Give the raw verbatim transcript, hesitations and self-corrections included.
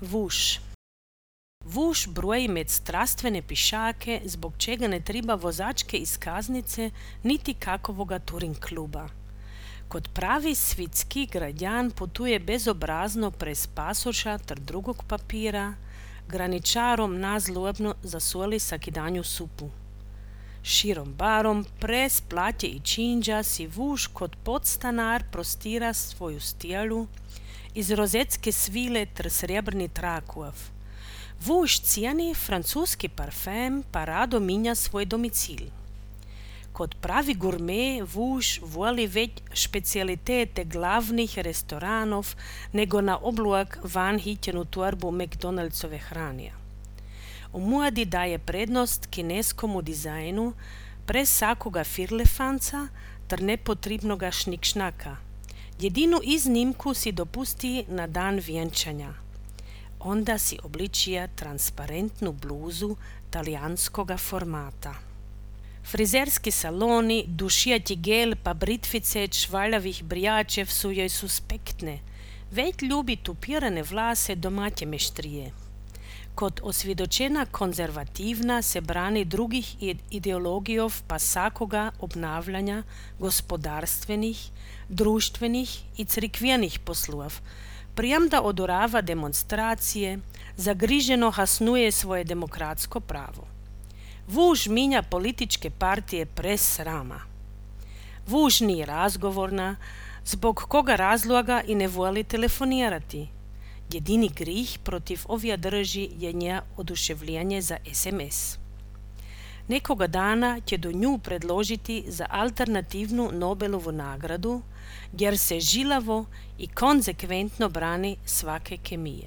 Vuš. Vuš broji med strastvene pišake, zbog čega ne treba vozačke iskaznice niti kakovoga Turing kluba. Kot pravi svitski građan putuje bezobrazno prez pasoša ter drugog papira, graničarom nazlobno zasoli sakidanju supu. Širom barom, prez platje i činđa si Vuš kot podstanar prostira svoju stijelu, iz rozetske svile ter srebrni trakuav. Vuš cijeni francuski parfem pa rado minja svoj domicil. Kod pravi gurme Vuš voli već špecijalitete glavnih restoranov nego na obluak van hitjenu torbu McDonaldsove hranija. U mladi daje prednost kineskomu dizajnu prez sakoga firlefanca ter nepotrebnoga šnikšnaka. Jedinu iznimku si dopusti na dan vjenčanja. Onda si obličija transparentnu bluzu talijanskoga formata. Frizerski saloni, dušijati gel pa britvice čvaljavih brijačev su joj suspektne, već ljubi tupirane vlase domaće meštrije. Kod osvjedočena konzervativna se brani drugih ideologijov pa sakoga obnavljanja gospodarstvenih, društvenih i crikvenih poslov, prijam da odorava demonstracije, zagriženo hasnuje svoje demokratsko pravo. Vuš minja političke partije prez srama. Vuš nije razgovorna, zbog koga razloga i ne voli telefonirati. Jedini grih protiv ovja drži je nje oduševljenje za es em es. Nekoga dana će do nju predložiti za alternativnu Nobelovu nagradu, jer se žilavo i konzekventno brani svake kemije.